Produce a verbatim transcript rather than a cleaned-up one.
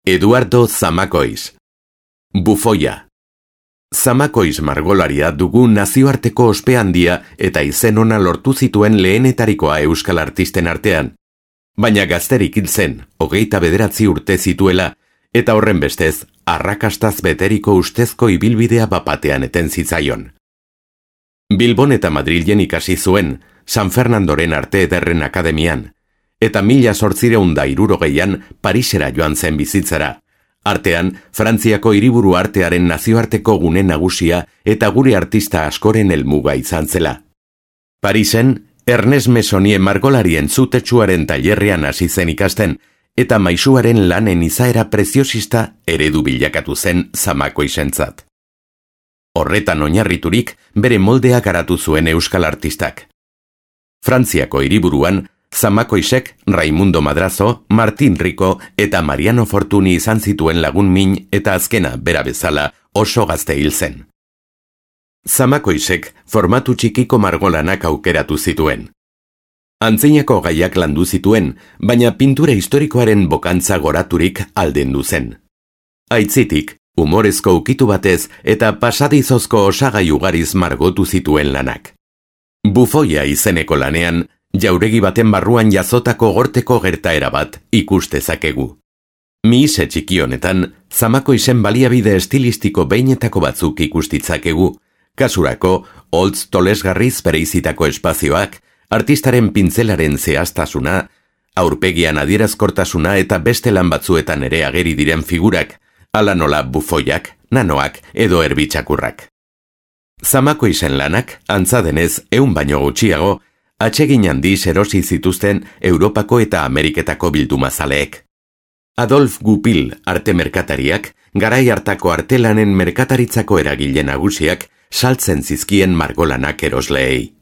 Eduardo Zamacois. Bufoia. Zamacois margolaria dugu nazioarteko ospe handia eta izen ona lortu zituen lehenetarikoa euskal artisten artean. Baina gazterik hil zen, hogeita bederatzi urte zituela, eta horren bestez, arrakastaz beteriko ustezko ibilbidea bapatean eten zitzaion. Bilbon eta Madrilen ikasi zuen, San Fernandoren Arte Ederren Akademian, eta mila zortzireun da hirurogeian Parisera joan zen bizitzara. Artean, Frantziako hiriburu artearen nazioarteko gune nagusia eta gure artista askoren helmuga izan zela. Parisen, Ernest Meissonier margolarien zutetsuaren tailerrean hasi zen ikasten, eta maisuaren lanen izaera preziosista eredu bilakatu zen Zamacoisentzat. Horretan oinarriturik bere moldea garatu zuen euskal artistak. Frantziako hiriburuan, Zamacoisek Raimundo Madrazo, Martin Rico eta Mariano Fortuny izan zituen lagun min eta azkena bera bezala oso gazte hil zen. Zamacoisek formatu txikiko margolanak aukeratu zituen. Antzinako gaiak landu zituen, baina pintura historikoaren bokantza goraturik aldendu zen. Aitzitik, humorezko ukitu batez eta pasadizozko osagai ugariz margotu zituen lanak. Bufoia izeneko lanean, jauregi baten barruan jazotako gorteko gertaera bat ikustezakegu. Mihise txiki honetan, Zamacoisen baliabide estilistiko behinetako batzuk ikustitzakegu, kasurako, holtz tolesgarriz bereizitako espazioak, artistaren pintzelaren zehaztasuna, aurpegian adierazkortasuna eta beste lan batzuetan ere ageri diren figurak, ala nola bufoiak, nanoak edo erbitxakurrak. Zamacoisen lanak, antza denez, ehun baino gutxiago, atsegin handiz erosi zituzten Europako eta Ameriketako bildumazaleek. Adolf Goupil arte merkatariak, garai hartako artelanen merkataritzako eragile nagusiak, saltzen zizkien margolanak erosleei.